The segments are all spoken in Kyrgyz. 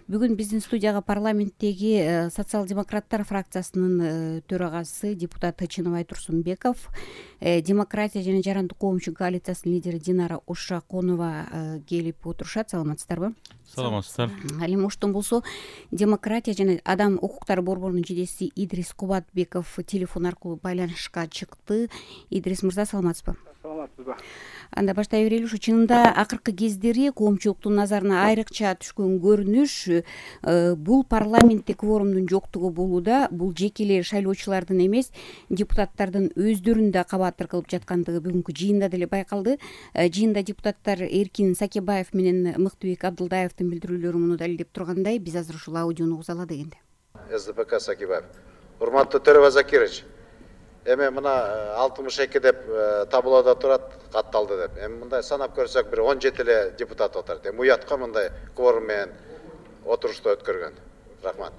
Бүгүн биздин студияга парламенттеги социал-демократтар фракциясынын төрагасы депутат Чыныбай Турсунбеков, демократия жана жарандык коомчу коалициясынын лидери Динара Ушаконова келип отурушат. Саламатсыздарбы? Саламатсыздар. Ал эми оштон болсо демократия жана адам укуктары борборунун жетекчиси Идрис Кубатбеков телефон аркылуу байланышка чыкты. Идрис мырза, саламатсызбы? Саламатсызбы. Анда баштай берели. Ушу чынында акыркы кездери коомчулуктун назарына айрыкча түшкөн көрүнүш бул парламентте кворумдун жоктугу болууда. Бул жеке эле шайлоочулардын эмес, депутаттардын өздөрүн да кабатыр кылып жаткандыгы бүгүнкү жыйында деле байкалды. Жыйында депутаттар Эркин Сакебаев менен Мыктыбек Абдылдаевдин билдирүүлөрү муну далилдеп тургандай, биз азыр ушул аудиону угузалы дегенде. СДПК Сакебаев. Урматтуу Төрөбай Закирович, эми мына 62 деп таблода турат, катталды деп. Эми мындай санап көрсөк бир 17 эле депутат отурат. Эми уятка мындай кворум менен отурушту өткөргөн. Рахмат.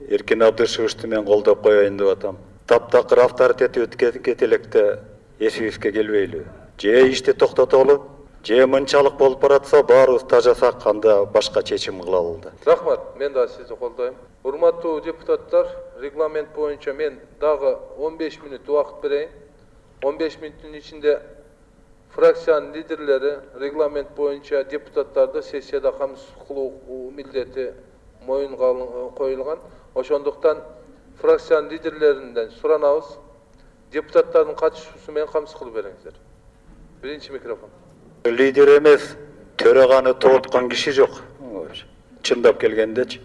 Эркин Абдышевичти мен колдоп коеюн деп атам. Таптакыр авторитети өткөн электе эсибизге келбейлү. Же ишти токтотору, же мынчалык болуп баратса баарыбыз тажасак анда башка чечим кылалы да. Рахмат, мен да сизди колдойм. Урматтуу депутаттар, регламент боюнча мен дагы 15 мүнөт убакыт берейин. 15 мүнөттүн ичинде фракциянын лидерлери регламент боюнча депутаттарды сессияда камсыз кылуу милдети моюнга коюлган. Ошондуктан фракциянын лидерлеринен суранабыз, депутаттардын катышуусу менен камсыз кылып бериңиздер. Биринчи микрофон. Лидер эмес, төраганы тооткон киши жок. Чындап келгендечи.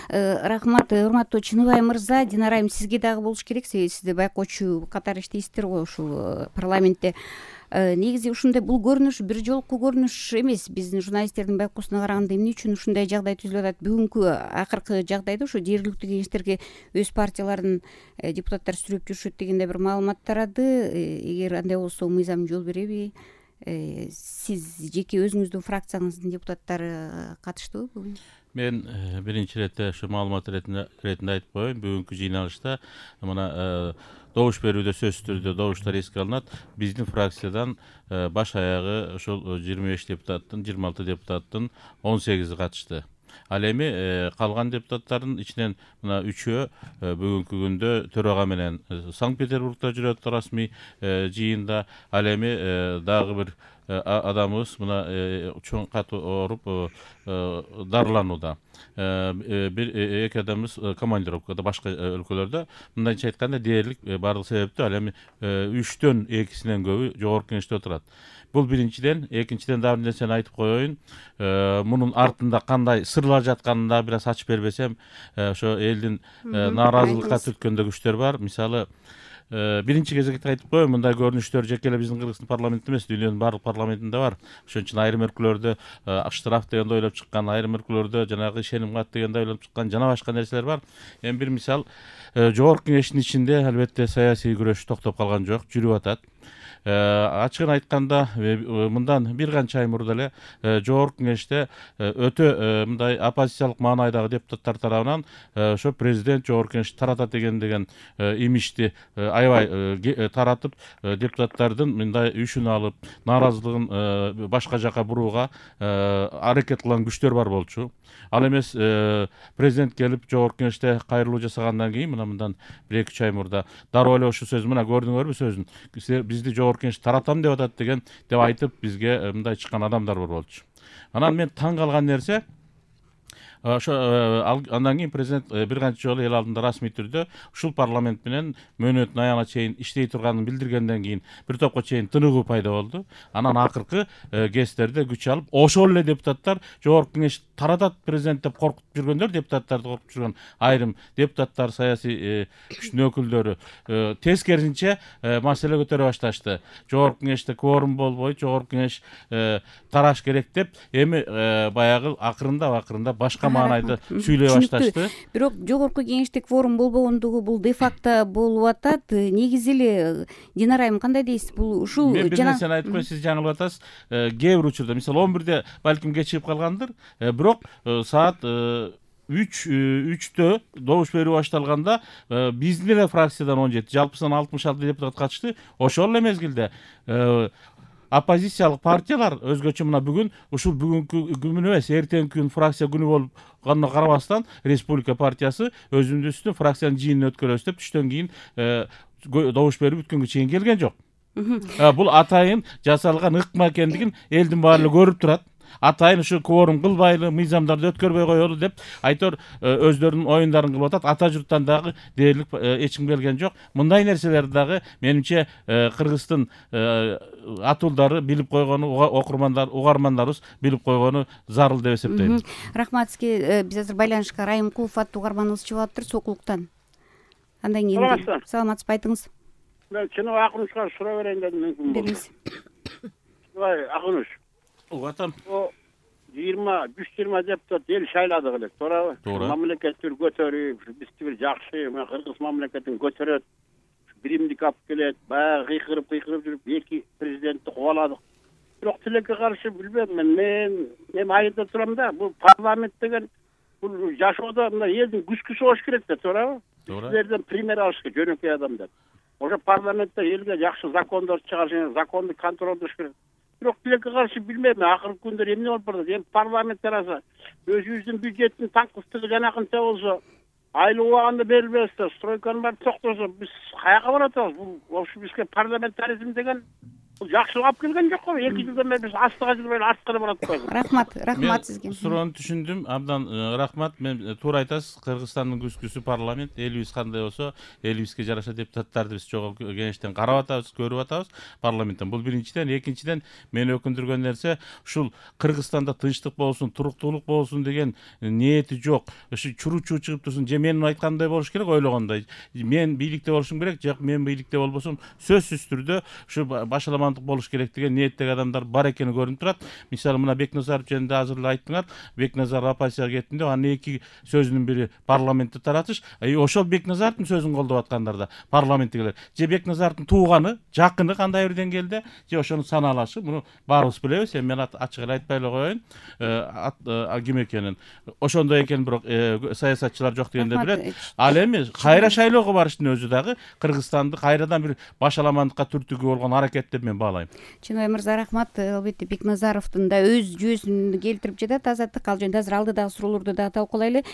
Рахмат, урматтуу Чыныбай мырза. Динара айым, сизге дагы болуш керек, сизди байкоочу катары иштейсиздер го ушул парламентте. Негизи ушундай бул көрүнүш бир жолку көрүнүш эмес. Биздин журналисттердин байкоосуна караганда эмне үчүн ушундай жагдай түзүлүп атат? Бүгүнкү акыркы жагдайда ушу жергиликтүү кеңештерге өз партиялардын депутаттары сүрөп жүрүшөт дегенде бир маалымат тарады. Эгер андай болсо мыйзам жол береби? Сиз жеке өзүңүздүн фракцияңыздын депутаттары катыштыбы бүгүн? Мен биринчи иретте ушу маалымат иретинде айтып коеюн. Бүгүнкү жыйналышта мына добуш берүүдө сөзсүз түрдө добуштар эске алынат. Биздин фракциядан баш аягы ошол 25 депутаттын, 26 депутаттын 18 катышты. Ал эми калган депутаттардын ичинен мына 3-өө бүгүнкү күндө төрага менен Санкт-Петербургда жүрөт расмий жыйында. Ал эми дагы бир адамыбыз мына чоң кат ооруп дарыланууда. Бир эки адамыбыз командировкада башка өлкөлөрдө. Мындайча айтканда дээрлик бардык себептүү. Ал эми 3төн 2синен көбү жогорку кеңеште отурат. Бул биринчиден. Экинчиден дагы бир нерсени айтып коеюн. Мунун артында кандай сырлар жатканын да бир аз ачып бербесем, ошо элдин нааразылыкка түрткөндө күчтөр бар. Мисалы, биринчи кезекте айтып коеюн, мындай көрүнүштөр жеке эле биздин Кыргызстан парламентинде эмес, дүйнөнүн баардык парламентинде бар. Ошон үчүн айрым өлкөлөрдө штраф дегенди ойлоп чыккан, айрым өлкөлөрдө жанагы ишеним кат дегенди ойлоп чыккан, жана башка нерселер бар. Эми бир мисал, жогорку кеңештин ичинде албетте саясий күрөш токтоп калган жок, жүрүп атат. Ачыгын айтканда, мындан бир канча ай мурда эле жогорку кеңеште өтө мындай оппозициялык маанайдагы депутаттар тарабынан ошо президент жогорку кеңешти таратат деген имичти аябай таратып, депутаттардын мындай үшүн алып, нааразылыгын башка жака бурууга аракет кылган күчтөр бар болчу. Ал эмес президент келип жогорку кеңеште кайрылуу жасагандан кийин мындан 1-2 ай мурда дароо эле ошол сөз, мына көрдүңөрбү сөзүн, бизди жогорку кеңеш таратам деп атат деп айтып бизге мындай чыккан адамдар бар болчу. Анан мен таң калган нерсе, ошо андан кийин президент бир канча жолу эл алдында расмий түрдө ушул парламент менен мөөнөттүн аягына чейин иштей турганын билдиргенден кийин бир топко чейин тыныгуу пайда болду. Анан акыркы кездерде күч алып, ошол эле депутаттар жогорку кеңеш таратат президент деп коркутуп жүргөндөр, депутаттарды коркутуп жүргөн айрым депутаттар, саясий күчтүн өкүлдөрү тескерисинче маселе көтөрө башташты. Жогорку кеңеште кворум болбойт, жогорку кеңеш тараш керек деп, эми баягы акырында башка маанайда сүйлөй башташты. Бирок жогорку кеңеште кворум болбогондугу бул де факто болуп атат. Негизи эле Динара айым, кандай дейсиз? Бул ушул мен бир нерсени айтып коеюн, сиз жаңылып атасыз. Кээ бир учурда, мисалы 11-де балким кечигип калгандыр, бирок саат 3-тө добуш берүү башталганда биздин эле фракциядан 17, жалпысынан 66 депутат катышты. Ошол эле мезгилде оппозициялык партиялар өзгөчө мына бүгүн ушул бүгүнкү күн эмес, эртеңки күн фракция күнү болгонуна карабастан Республика партиясы өзүбүздүн фракциянын жыйынын өткөрөбүз деп түштөн кийин добуш берип бүткөнгө чейин келген жок. Бул атайын жасалган ыкма экендигин элдин баары көрүп турат. Атайын ушу кворум кылбайлы, мыйзамдарды өткөрбөй коелу деп айтор өздөрүнүн оюндарын кылып атат. Ата журттан дагы дээрлик эч ким келген жок. Мындай нерселерди дагы менимче Кыргыздын атуулдары билип койгону, угармандарыбыз билип койгону зарыл деп эсептейм. Рахмат сизге. Биз азыр байланышка Райымкулов аттуу угарманыбыз чыгып атыптыр Сокулуктан. Андан кийин саламатсызбы, айтыңыз. Мен Чыныбай Акунучка суроо берейин дедим, мүмкүн болсо. Чыныбай Акунуч. Атам. 120 депутат эл шайладык элек, туурабы? Мамлекетти көтөрүп, бизди бир жакшы, Кыргыз мамлекетин көтөрөт, биримдик алып келет, баягы кыйкырып жүрүп, эки президентти кубаладык. Бирок тилекке каршы билбейм, мен айылда турам да, бул парламент деген бул жашоодо мына элдин күзгүсү болуш керек да, туурабы? Силерден пример алыш керек, жөнөкөй адамдар. Ошо парламентте элге жакшы закондор чыгарыш, законду контролдош керек. Бирок тилекке каршы билбейм, акыркы күндөр эмне болуп барат? Эми парламент тараса өзүбүздүн бюджеттин танкыстыгы жанакынча болсо, айлык убагында берилбесе, стройканын баары токтосо, биз каяка барып атабыз? Бул ошо бизге парламентаризм деген бул жакшылык алып келген жок го. 2 жылдан бери биз астыга жылбай арткы барып атпайбыз. Рахмат сизге. Суроону түшүндүм. Абдан рахмат. Мен туура айтасыз. Кыргызстандын күзгүсү парламент, элибиз кандай болсо, элибизге жараша депутаттарды биз чогуу кеңештен карап атабыз, көрүп атабыз парламенттен. Бул биринчиден, экинчиден мени өкүндүргөн нерсе ушул Кыргызстанда тынчтык болсун, туруктуулук болсун деген ниети жок. Ушу чуруу-чуу чыгып турсун, же менин айткандай болуш керек, ойлогондой. Мен бийликте болушум керек, жок мен бийликте болбосом, сөзсүз түрдө ушу башалама болуш керек деген ниеттеги адамдар бар экени көрүнүп турат. Мисалы мына Бекназаров жөнүндө азыр эле айттыңар. Бекназаров оппозицияга кеттинде, анын эки сөзүнүн бири парламентте таратыш. Ошол Бекназаровдун сөзүн колдоп аткандар да парламенттегилер. Же Бекназаровдун тууганы, жакыны кандай бир деңгээлде, же ошону санаалашы. Муну баарыбыз билебиз. Эми мен ачык эле айтпай эле коеюн. Ким экенин. Ошондой экенин бирок саясатчылар жок дегенде билет. Ал эми кайра шайлоого барыштын өзү дагы Кыргызстанды кайрадан бир башаламандыкка түртүүгө болгон аракет деп мен баалайм. Чыныбай мырза, рахмат. Албетте Бекназаровдун да өз жүйөсүн келтирип жатат Азаттык. Ал жөнүндө азыр алдыдагы суроолорду да талкуулайлы.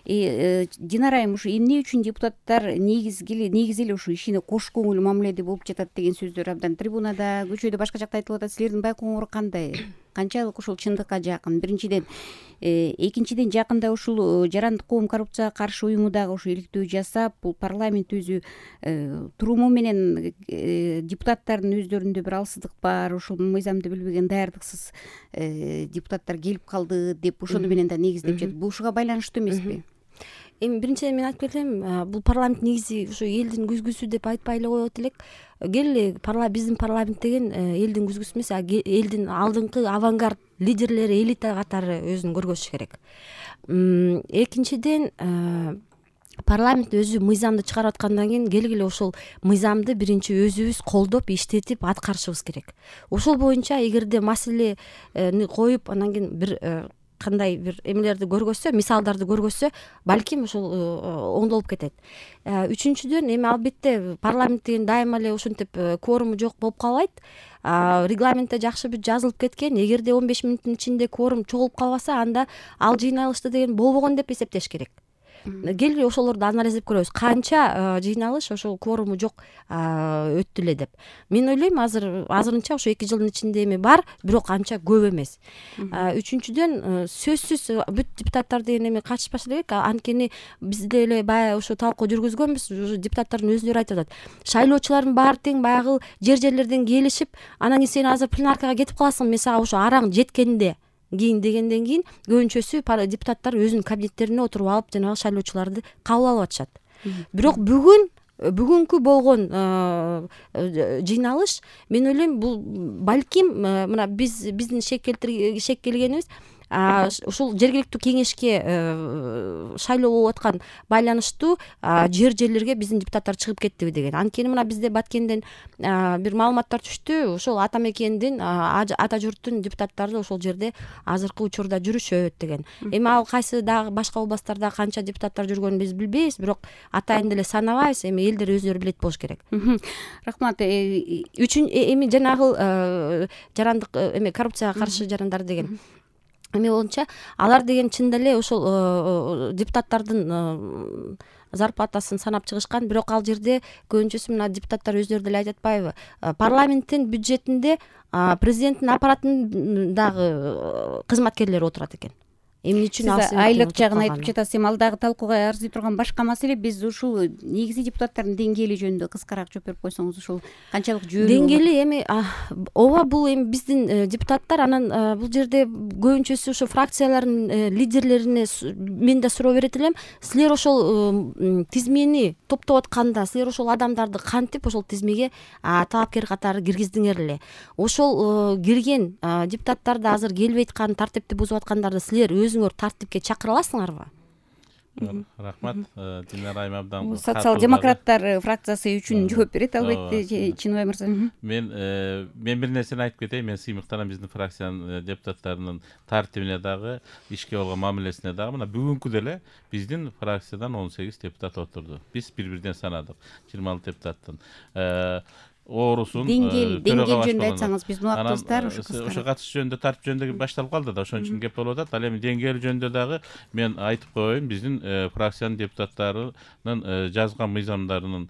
Динара айым ушу эмне үчүн депутаттар негизи эле ушу ишине кош көңүл мамиледе болуп жатат деген сөздөр абдан трибунада, көчөдө, башка жакта айтылып атат. Силердин байкооңор кандай? Канчалык ушул чындыкка жакын? Биринчиден, экинчиден, жакында ушул Жарандык коом коррупцияга каршы уюму дагы ушу иликтөө жасап, бул парламент өзү туруму менен депутаттардын өздөрүндө бир алсыздык бар, ушул мыйзамды билбеген даярдыксыз депутаттар келип калды деп ошону менен да негиздеп жатат. Бул ушуга байланыштуу эмеспи? Эми биринчиден мен айтып кетем, бул парламент негизи ушу элдин күзгүсү деп айтпай эле коет элек. Келе биздин парламент деген элдин күзгүсү эмес, элдин алдыңкы авангард лидерлери, элита катары өзүн көргөзүш керек. Экинчиден, парламент өзү мыйзамды чыгарып аткандан кийин келгиле ошол мыйзамды биринчи өзүбүз колдоп, иштетип аткарышыбыз керек. Ошол боюнча эгерде маселени коюп, анан кийин бир кандай бир эмелерди көргөзсө, мисалдарды көргөзсө, балким ошол оңдолуп кетет. Үчүнчүдөн, эми албетте парламент деген дайыма эле ушинтип кворуму жок болуп калбайт. Регламентте жакшы бир жазылып кеткен. Эгерде 15 мүнөттүн ичинде кворум чогулуп калбаса, анда ал жыйналышты деген болбогон деп эсептеш керек. Келгиле ошолорду анализдеп көрөбүз. Канча жыйналыш ошол кворуму жок өттү эле деп. Мен ойлойм, азырынча ошо 2 жылдын ичинде эми бар, бирок анча көп эмес. Үчүнчүдөн, сөзсүз бүт депутаттар деген эми катышпаш элек. Анткени биз деле баягы ошо талкуу жүргүзгөнбүз. Депутаттардын өздөрү айтып атат. Шайлоочулардын баары тең баягы жерлерден келишип, анан кийин сен азыр пленаркага кетип каласың, мен сага ошо араң жеткенде кийин дегенден кийин көбүнчөсү депутаттар өзүнүн кабинеттерине отуруп алып, жанагы шайлоочуларды кабыл алып атышат. Бирок бүгүнкү болгон жыйналыш, мен ойлойм, бул балким мына биздин шек келгенибиз ушул жергиликтүү кеңешке шайлоо болуп аткан байланыштуу жерлерге биздин депутаттар чыгып кеттиби деген. Анткени мына бизде Баткенден бир маалыматтар түштү. Ошол ата мекендин ата журттун депутаттары ошол жерде азыркы учурда жүрүшөт деген. Эми ал кайсы дагы башка областтарда канча депутаттар жүргөнүн биз билбейбиз, бирок атайын деле санабайбыз. Эми элдер өздөрү билет болуш керек. Рахмат. Эми жанагы жарандык эме коррупцияга каршы жарандар деген. Эми боюнча алар деген чында эле ошол депутаттардын зарплатасын санап чыгышкан, бирок ал жерде көбүнчөсү мына депутаттар өздөрү деле айтып атпайбы, парламенттин бюджетинде президенттин аппаратынын дагы кызматкерлери отурат экен. Эмне үчүн ал айлык жагын айтып жатасыз? Эми ал дагы талкууга арзый турган башка маселе. Биз ушул негизги депутаттардын деңгээли жөнүндө кыскараак жооп берип койсоңуз, ушул канчалык жүйөлүү деңгээли? Эми ооба, бул эми биздин депутаттар, анан бул жерде көбүнчөсү ошо фракциялардын лидерлерине мен да суроо берет элем. Силер ошол тизмени топтоп атканда, силер ошол адамдарды кантип ошол тизмеге талапкер катары киргиздиңер эле? Ошол кирген депутаттарды азыр келбей аткан, тартипти бузуп аткандарды силер өзүңөр тартипке чакыра аласыңарбы? Рахмат. Динара Айым абдан социал-демократтар фракциясы үчүн жооп берет албетте, Чыныбай мырза. Мен бир нерсени айтып кетейин. Мен сыймыктанам биздин фракциянын депутаттарынын тартибине дагы, ишке болгон мамилесине дагы. Мына бүгүнкү деле биздин фракциядан 18 депутат отурду. Биз бир-бирден санадык 26 депутаттын. Оорусун деңгел жөнүндө айтсаңыз, биздин убактыбыздар ошо катыш жөнүндө, тартип жөнүндө башталып калды да, ошон үчүн кеп болуп атат. Ал эми деңгээл жөнүндө дагы мен айтып коеюн, биздин фракциянын депутаттарынын жазган мыйзамдарынын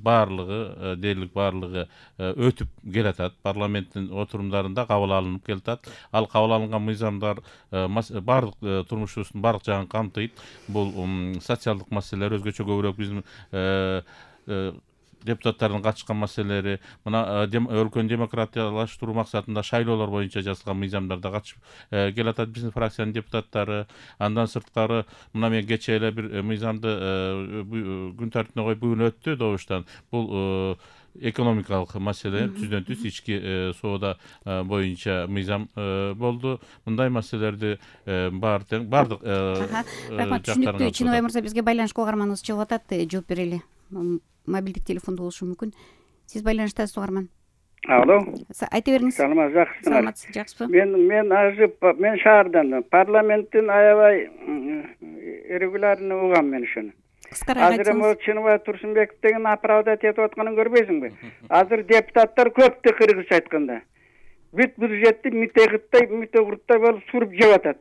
баардыгы, дээрлик баардыгы өтүп келатат. Парламенттин отурумдарында кабыл алынып келатат. Ал кабыл алынган мыйзамдар баардык турмушубуздун баардык жагын камтыйт. Бул социалдык маселелер, өзгөчө көбүрөөк биздин депутаттардын катышкан маселелери, мына өлкөнү демократиялаштыруу максатында шайлоолор боюнча жазылган мыйзамдарда катышып келатат биздин фракциянын депутаттары. Андан сырткары мына мен кечээ эле бир мыйзамды күн тартибине коюп бүгүн өттү добуштан. Бул экономикалык маселе, түздөн түз ички соода боюнча мыйзам болду. Мындай маселелерди баардык рахмат. Түшүнүктүү. Чыныбай мырза, бизге байланыш кугарманыбыз чыгып атат, жооп берели. Мобилдик телефондо болушу мүмкүн. Сиз байланыштасыз, угарман. Алло. Айта бериңиз. Саламат, жакшысыздар. Жакшысызбы? Мен шаардан, парламенттин аябай регулярный угам мен ошону. Кыскараак айтсаңыз. Азыр Чыныбай Турсунбеков деген оправдать этип атканын көрбөйсүңбү? Азыр депутаттар көптү, кыргызча айтканда. Бүт бюджетти митегиттай болуп суруп жеп атат.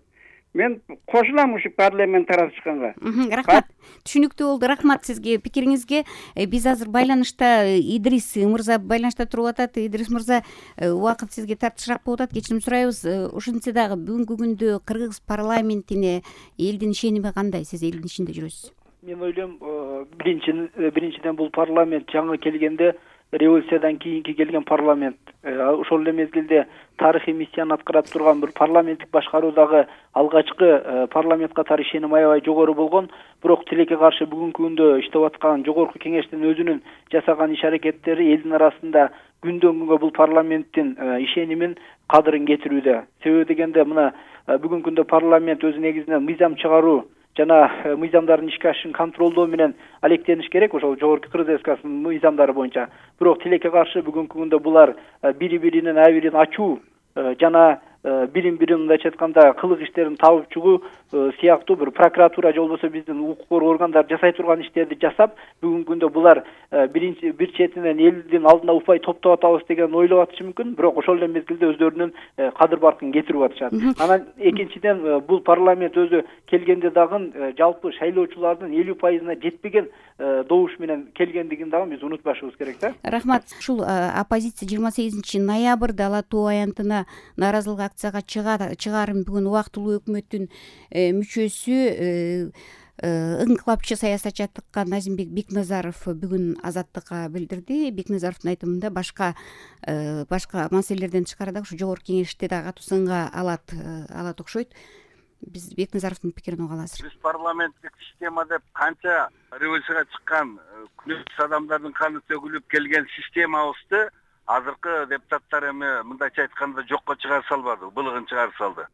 Мен кошулам ушу парламент таратышканга. Рахмат. Түшүнүктүү болду. Рахмат сизге, пикириңизге. Биз азыр байланышта Идрис мырза байланышта туруп атат. Идрис мырза, убакыт сизге тартышыраак болуп атат. Кечирим сурайбыз. Ушинтсе дагы бүгүнкү күндө кыргыз парламентине элдин ишеними кандай? Сиз элдин ичинде жүрөсүз. Мен ойлойм, биринчиден бул парламент жаңы келгенде революциядан кийинки келген парламент. Ошол эле мезгилде тарыхый миссияны аткарып турган бир парламенттик башкаруудагы алгачкы парламент катары ишеним аябай жогору болгон. Бирок тилекке каршы бүгүнкү күндө иштеп аткан жогорку кеңештин өзүнүн жасаган иш-аракеттери элдин арасында күндөн күнгө бул парламенттин ишенимин, кадырын кетирүүдө. Себеби дегенде мына бүгүнкү күндө парламент өзү негизинен мыйзам чыгаруу жана мыйзамдардын ишке ашышын контролдоо менен алектениш керек, ошол жогорку Кыргыз Республикасынын мыйзамдары боюнча. Бирок тилекке каршы бүгүнкү күндө булар бири-биринин айбирин ачуу жана бирин-бирин мындайча айтканда кылык иштерин табып чыгуу сыяктуу бир прокуратура же болбосо биздин укук коргоо органдары жасай турган иштерди жасап, бүгүнкү күндө булар бир четинен элдин алдына упай топтоп атабыз деген ойлоп атышы мүмкүн, бирок ошол эле мезгилде өздөрүнүн кадыр баркын кетирип атышат. Анан экинчиден бул парламент өзү келгенде дагы жалпы шайлоочулардын 50% жетпеген добуш менен келгендигин дагы биз унутпашыбыз керек да. Рахмат. Ушул оппозиция 28 ноябрда Ала Тоо аянтына нааразылык акцияга чыгарын бүгүн убактылуу өкмөттүн мүчөсү ыңкылапчы саясатчы атыккан Назимбек Бекназаров бүгүн Азаттыкка билдирди. Бекназаровдун айтымында башка маселелерден тышкары дагы ушу жогорку кеңеште дагы катуу сынга алат окшойт. Биз Бекназаровдун пикирин угалы азыр. Биз парламенттик система деп канча революцияга чыккан күнөөсүз адамдардын каны төгүлүп келген системабызды азыркы депутаттар эми мындайча айтканда жокко чыгара салбады, былыгын чыгара салды.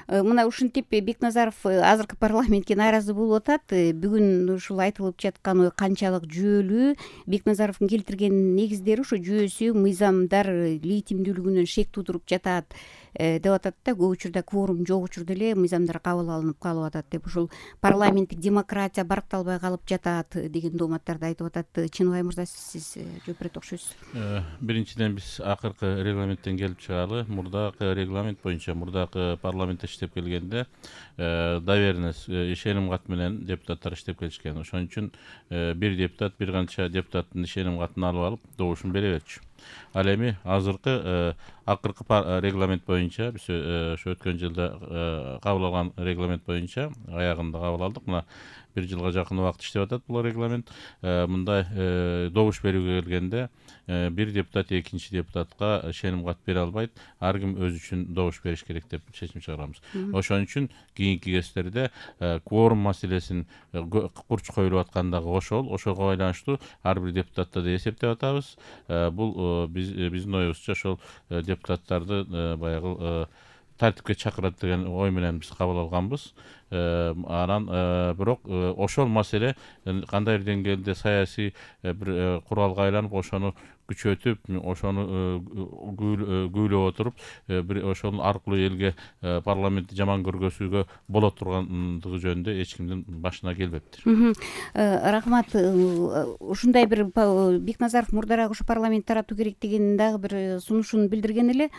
Мына ушинтип Бекназаров азыркы парламентке нааразы болуп атат. Бүгүн ушул айтылып жаткан ой канчалык жүйөлүү? Бекназаровдун келтирген негиздери ушу жүйөсү мыйзамдар легитимдүүлүгүнөн шек туудуруп жатат деп атат да. Көп учурда кворум жок учурда эле мыйзамдар кабыл алынып калып атат деп, ушул парламенттик демократия баркталбай калып жатат деген дооматтарды айтып атат. Чыныбай мырза, сиз жооп берет окшойсуз. Биринчиден биз акыркы регламенттен келип чыгалы. Мурдакы регламент боюнча мурдакы парламент иштеп келгенде доверенность, ишеним кат менен депутаттар иштеп келишкен. Ошон үчүн бир депутат бир канча депутаттын ишеним катын алып алып добушун бере берчү. Ал эми азыркы акыркы регламент боюнча биз ошо өткөн жылда кабыл алган регламент боюнча аягында кабыл алдык. Мына 1 жылга жакын убакыт иштеп атат бул регламент. Мындай добуш берүүгө келгенде бир депутат экинчи депутатка ишеним кат бере албайт. Ар ким өзү үчүн добуш бериш керек деп чечим чыгарабыз. Ошон үчүн кийинки кездерде кворум маселесин курч коюлуп аткандагы ошого байланыштуу ар бир депутатты да эсептеп атабыз. Бул биздин оюбузча ошол депутаттарды баягы тартипке чакырат деген ой менен биз кабыл алганбыз. Анан бирок ошол маселе кандайдыр деңгээлде саясий бир куралга айланып, ошону күчөтүп, ошону күйлөп отуруп, бир ошол аркылуу элге парламентти жаман көргөзүүгө боло тургандыгы жөнүндө эч кимдин башына келбептир. Рахмат. Ушундай бир Бекназаров мурдараак ушу парламент таратуу керек деген дагы бир сунушун билдирген эле.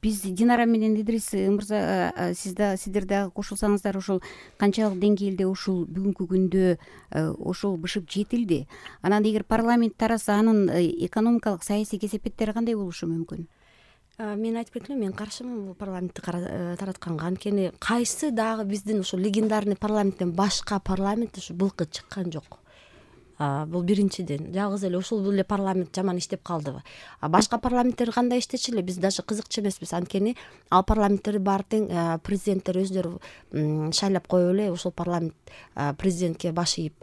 Биз Динара менен Идрис мырза, сиздер дагы кошулсаңыздар, ошол канчалык деңгээлде ушул бүгүнкү күндө ошол бышып жетилди? Анан эгер парламент тараса, анын экономикалык саясий кесепеттери кандай болушу мүмкүн? Мен айтып кеттим, мен каршымын бул парламентти таратканга. Анткени кайсы дагы биздин ушул легендарный парламенттен башка парламент ушу былкы чыккан жок. Бул биринчиден. Жалгыз эле ушул эле парламент жаман иштеп калдыбы? Башка парламенттер кандай иштечү эле, биз даже кызыкчу эмеспиз. Анткени ал парламенттер баары тең президенттер өздөрү шайлап коюп эле ушул парламент президентке баш ийип,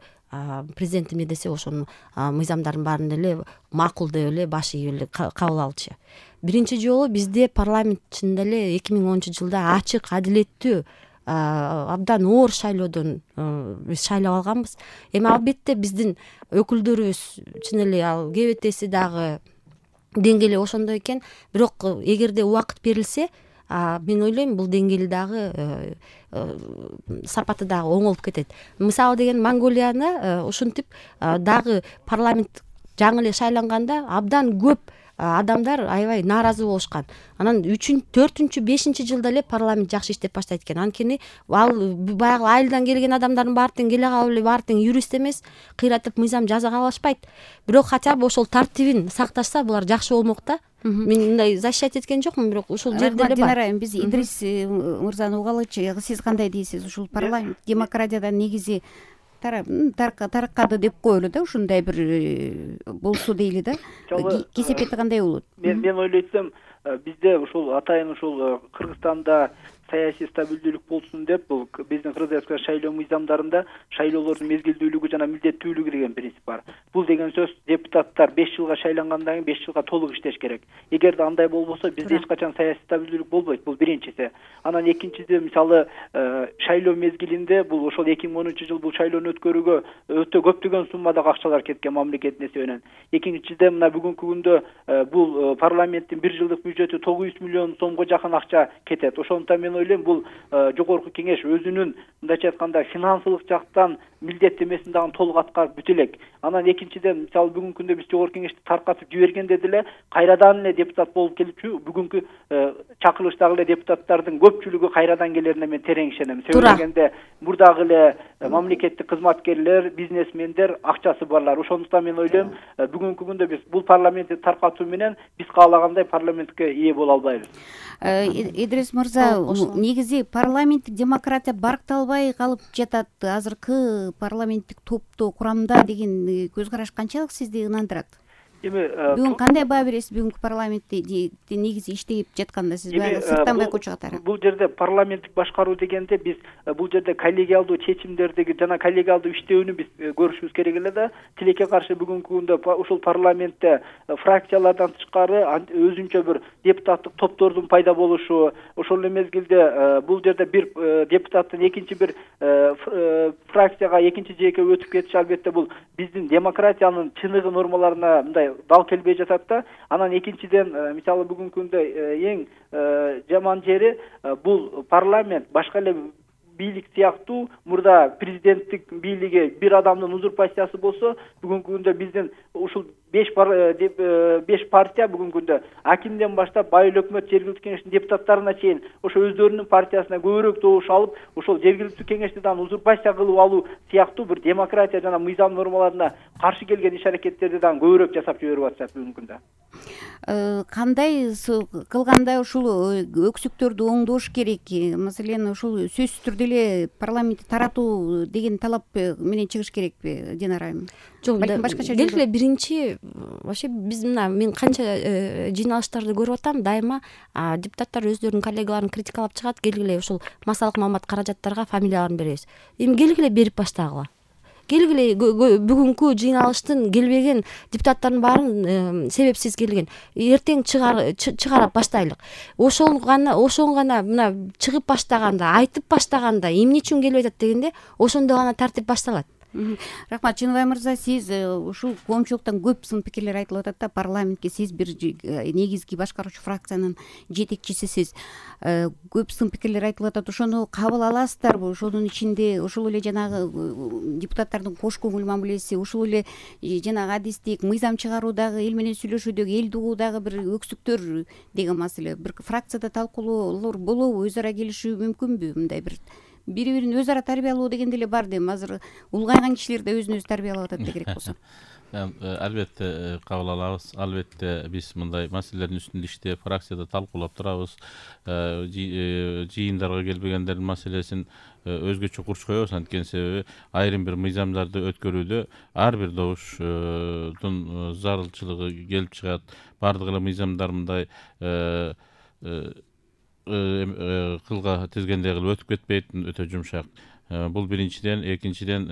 президент эмне десе ошонун мыйзамдардын баарын эле макул деп эле баш ийип эле кабыл алчу. Биринчи жолу бизде парламент чынында эле 2010-жылда ачык, адилеттүү, абдан оор шайлоодон биз шайлап алганбыз. Эми албетте биздин өкүлдөрүбүз чын эле ал КБТси дагы деңгээли ошондой экен. Бирок эгерде убакыт берилсе, мен ойлойм бул деңгээли дагы сапаты дагы оңолуп кетет. Мисалы деген Монголияны ушинтип дагы парламент жаңы эле шайланганда абдан көп адамдар аябай нааразы болушкан. Анан 3-4, 5 жылда эле парламент жакшы иштеп баштайт экен. Анткени ал баягы айылдан келген адамдардын баары тең келе калып эле баары тең юрист эмес, кыйратып мыйзам жаза алышпайт. Бирок хотя бы ошол тартибин сакташса булар жакшы болмок да. Мен мындай защищать эткен жокмун, бирок ушул жерде эле бар. Биз Идрис мырзаны угалычы. Сиз кандай дейсиз? Ушул парламент демократиядан негизи тараккады деп коелу да, ушундай бир болсо дейли да. Кесепети кандай болот? Мен ойлойсом, бизде ушул атайын ушул Кыргызстанда саясий стабилдүүлүк болсун деп, бул биздин кыргызстан шайлоо мыйзамдарында шайлоолордун мезгилдүүлүгү жана милдеттүүлүгү деген принцип бар. Бул деген сөз депутаттар 5 жылга шайлангандан кийин 5 жылга толук иштеш керек. Эгерде андай болбосо бизде эч качан саясий стабилдүүлүк болбойт. Бул биринчиси. Анан экинчиси, мисалы шайлоо мезгилинде бул ошол 2010-жыл бул шайлоону өткөрүүгө өтө көптөгөн суммадагы акчалар кеткен мамлекеттин эсебинен. Экинчиден мына бүгүнкү күндө бул парламенттин 1 жылдык бюджети 900 миллион сомго жакын акча кетет. Ошондуктан мен ойлойм, бул жогорку кеңеш өзүнүн мындайча айтканда финансылык жактан милдеттемесин дагы толук аткарып бүтө элек. Анан экинчиден, мисалы бүгүнкү күндө биз жогорку кеңешти таркатып жибергенде деле кайрадан эле депутат болуп келипчү. Бүгүнкү чакырылыштагы эле депутаттардын көпчүлүгү кайрадан келерине мен терең ишенем. Себеби дегенде мурдагы эле мамлекеттик кызматкерлер, бизнесмендер, акчасы барлар. Ошондуктан мен ойлойм, бүгүнкү күндө биз бул парламентти таркатуу менен биз каалагандай парламентке ээ боло албайбыз. Идрис мырза, негизи парламенттик демократия баркталбай калып жатат. Азыркы парламенттик топто курамда деген көз караш канчалык сизди ынандырат? эми бүгүн кандай баа бересиз бүгүнкү парламентте негизи иштеп жатканда сиз баягы сырттан байкоочу катары? Бул жерде парламенттик башкаруу дегенде биз бул жерде коллегиалдуу чечимдердеги жана коллегиалдуу иштөөнү биз көрүшүбүз керек эле да. Тилекке каршы бүгүнкү күндө ушул парламентте фракциялардан тышкары өзүнчө бир депутаттык топтордун пайда болушу, ошол эле мезгилде бул жерде бир депутаттын экинчи бир фракцияга экинчи жээкке өтүп кетиши албетте бул биздин демократиянын чыныгы нормаларына мындай дал келбей жатат да. Анан экинчиден мисалы бүгүнкү күндө эң жаман жери бул парламент башка эле бийлик сыяктуу мурда президенттик бийлиги бир адамдын узурпациясы болсо, бүгүнкү күндө биздин ушул 5 партия бүгүнкү күндө акимден баштап байыл өкмөт жергиликтүү кеңештин депутаттарына чейин ошо өздөрүнүн партиясына көбүрөөк добуш алып, ошол жергиликтүү кеңешти дагы узурпация кылып алуу сыяктуу бир демократия жана мыйзам нормаларына каршы келген иш-аракеттерди дагы көбүрөөк жасап жиберип атышат бүгүнкү күндө. Кандай кылганда ушул өксүктөрдү оңдош керек? Маселен, ушул сөзсүз түрдө эле парламентти таратуу деген талап менен чыгыш керекпи, Динара айым? Жок, келгиле эле биринчи вообще биз мына мен канча жыйналыштарды көрүп атам, дайыма депутаттар өздөрүнүн коллегаларын критикалап чыгат, келгиле ушул массалык маалымат каражаттарга фамилияларын беребиз. Эми келгиле берип баштагыла. Келгиле бүгүнкү жыйналыштын келбеген депутаттардын баарын себепсиз келген. Эртең чыгарып баштайлык. Ошону гана мына чыгып баштаганда, айтып баштаганда эмне үчүн келбей атат дегенде, ошондо гана тартип башталат. Рахмат, Чыныбай мырза, сиз ушул коомчулуктан көп сын пикирлер айтылып атат да, парламентке сиз бир негизги башкаруучу фракциянын жетекчисисиз. Көп сын пикирлер айтылып атат. Ошону кабыл аласыздарбы? Ошонун ичинде ушул эле жанагы депутаттардын кош көңүл мамилеси, ушул эле жанагы адистик мыйзам чыгаруудагы, эл менен сүйлөшүүдөгү, элди угуудагы бир өксүктөр деген маселе. Бир фракцияда талкуулоолор болобу? Өз ара келишүү мүмкүнбү? Мындай бири-бирин өз ара тарбиялоо деген деле бар дейм. Азыр улгайган кишилер да өзүн өзү тарбиялап атат керек болсо. Албетте кабыл алабыз. Албетте биз мындай маселелердин үстүндө иштеп, фракцияда талкуулап турабыз. Жыйындарга келбегендердин маселесин өзгөчө курч коебуз. Анткени себеби айрым бир мыйзамдарды өткөрүүдө ар бир добуштун зарылчылыгы келип чыгат. Бардык эле мыйзамдар мындай кылга тизгендей кылып өтүп кетпейт, өтө жумшак. Бул биринчиден, экинчиден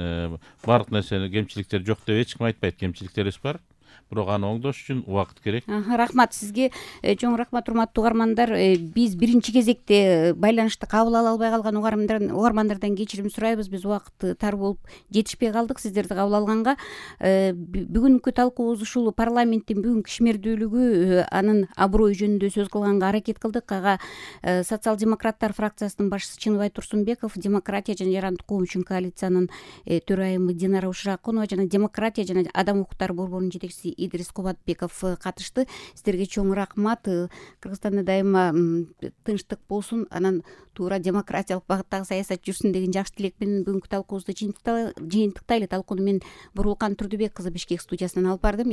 бардык нерсени кемчиликтер жок деп эч ким айтпайт. Кемчиликтерибиз бар. Бирок аны оңдош үчүн убакыт керек. Рахмат сизге. Чоң рахмат, урматтуу угармандар. Биз биринчи кезекте байланышты кабыл ала албай калган угармандардан кечирим сурайбыз. Биз убакыт тар болуп жетишпей калдык сиздерди кабыл алганга. Бүгүнкү талкуубуз ушул парламенттин бүгүнкү ишмердүүлүгү, анын аброю жөнүндө сөз кылганга аракет кылдык. Ага социал-демократтар фракциясынын башчысы Чыныбай Турсунбеков, демократия жана жарандык коом үчүн коалициянын төрайымы Динара Ушракунова жана демократия жана адам укуктары борборунун жетекчиси Идрис Кубатбеков катышты. Сиздерге чоң рахмат. Кыргызстанда дайыма тынчтык болсун, анан туура демократиялык багыттагы саясат жүрсүн деген жакшы тилек менен бүгүнкү талкуубузду жыйынтыктайлы. Талкууну мен Буруулкан Турдубек кызы Бишкек студиясынан алып бардым.